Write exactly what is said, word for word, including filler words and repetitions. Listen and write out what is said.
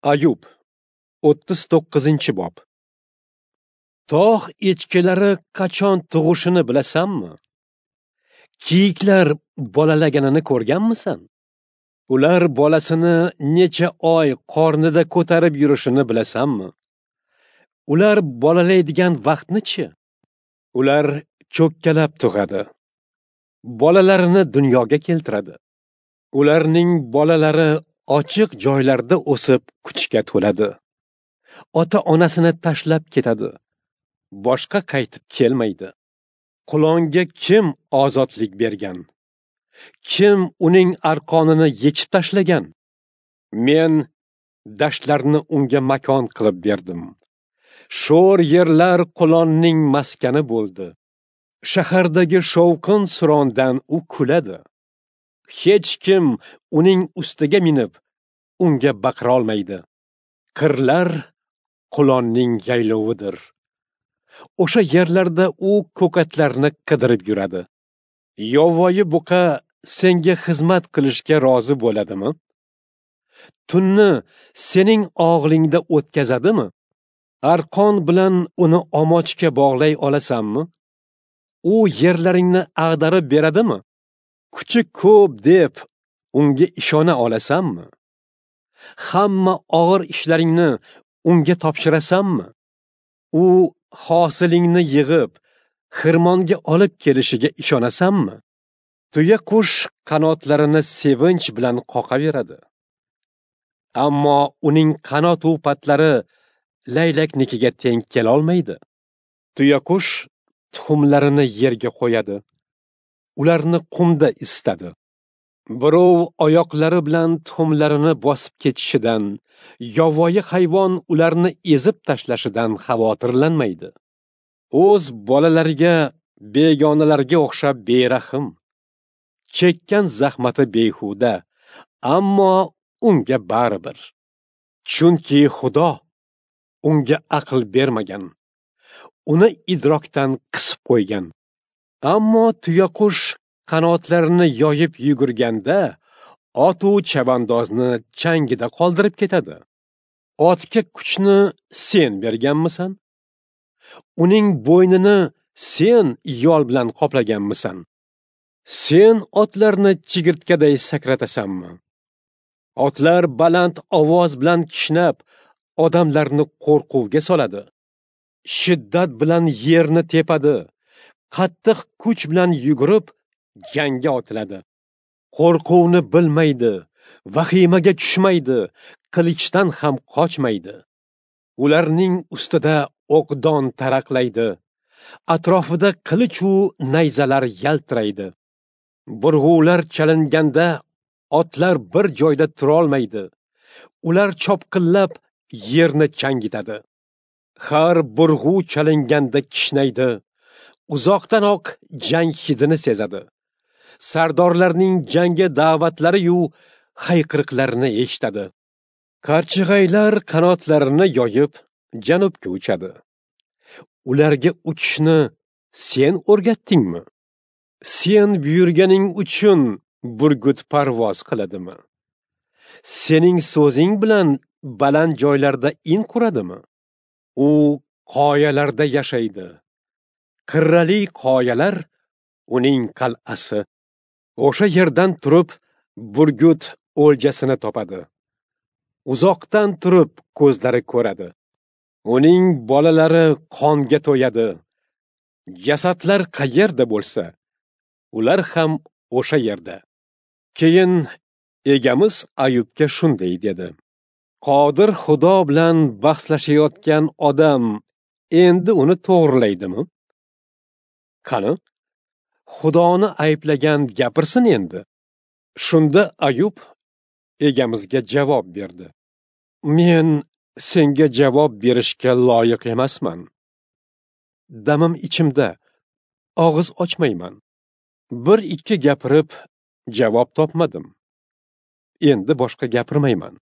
Ayub, o'ttiz to'qqizinchi bob. Tog' echkilari qachon tug'ishini bilasanmi? Kiyiklar bolalaganini ko'rganmisan? Ular bolasini necha oy qornida ko'tarib yurishini bilasanmi? Ular bolalaydigan vaqtni-chi? Ular cho'kkalab tug'adi. Bolalarini dunyoga keltiradi. Ularning bolalari ochiq joylarda o'sib kuchga to'ladi. Ota-onasini tashlab ketadi. Boshqa qaytib kelmaydi. Qulonga kim ozodlik bergan? Kim uning arqonini yechib tashlagan? Men dashtlarni unga makon qilib berdim. Sho'r yerlar qulonning maskani bo'ldi. Shahardagi shovqin surondan u kuladi. Hech kim uning ustiga minib, unga baqira olmaydi. Qirlar qulonning yaylovidir. O'sha yerlarda u ko'katlarni qidirib yuradi. Yovvoyi buqa senga xizmat qilishga rozi bo'ladimi? Tunni sening og'lingda o'tkazadimi? Arqon bilan uni omochga bog'lay olasanmi? U yerlaringni ag'darib beradimi? Kuchi ko'p deb unga ishona olasanmi? Hamma og'ir ishlaringni unga topshirasanmi? U hosilingni yig'ib, xirmonga olib kelishiga ishonasanmi? Tuyaqush qanotlarini sevinch bilan qoqaveradi. Ammo uning qanot u patlari laylaknikiga teng kela olmaydi. Tuyaqush tuxumlarini yerga qo'yadi. Ularni qumda isitadi. Birov oyoqlari bilan tuxumlarini bosib ketishidan, yovvoyi hayvon ularni ezib tashlashidan xavotirlanmaydi. O'z bolalariga begonalarga o'xshab berahm. Chekkan zahmati behuda, ammo unga baribir. Chunki Xudo unga aql bermagan, uni idrokdan qisib qo'ygan. Ammo tuyaqush qanotlarini yoyib yugurganda, ot-u chavandozni changida qoldirib ketadi. Otga kuchni sen berganmisan? Uning bo'ynini sen yol bilan qoplaganmisan? Sen otlarni chigirtkaday sakratasanmi? Otlar baland ovoz bilan kishnab, odamlarni qo'rquvga soladi. Shiddat bilan yerni tepadi. Qattiq kuch bilan yugurib, jangga otiladi. Qo'rquvni bilmaydi, vahimaga tushmaydi, qilichdan ham qochmaydi. Ularning ustida o'qdon taraqlaydi. Atrofida qilich u nayzalar yaltiraydi. Burg'ular chalinganda otlar bir joyda tura olmaydi. Ular chopqillab yerni changitadi. Har burg'u chalinganda kishnaydi. Uzoqdanoq jang hidini sezadi. Sardorlarning jangga da'vatlari-yu hayqiriqlarini eshitadi. Qarchig'aylar qanotlarini yoyib janubga uchadi. Ularga uchishni sen o'rgatdingmi? Sen buyurganing uchun burgut parvoz qiladimi? Sening so'zing bilan baland joylarda in quradimi? U qoyalarda yashaydi. Qirrali qoyalar uning qal'asi. O'sha yerdan turib burgut o'ljasini topadi. Uzoqdan turib ko'zlari ko'radi. Uning bolalari qonga to'yadi. Jasadlar qayerda bo'lsa, ular ham o'sha yerda. Keyin egamiz Ayubga shunday dedi: Qodir Xudo bilan bahslashayotgan odam endi uni to'g'rilaydimi? Qani, Xudoni ayblagan gapirsin endi. Shunda Ayub egamizga javob berdi: Men senga javob berishga loyiq emasman. Damim ichimda, og'iz ochmayman. Bir ikki gapirib javob topmadim. Endi boshqa gapirmayman.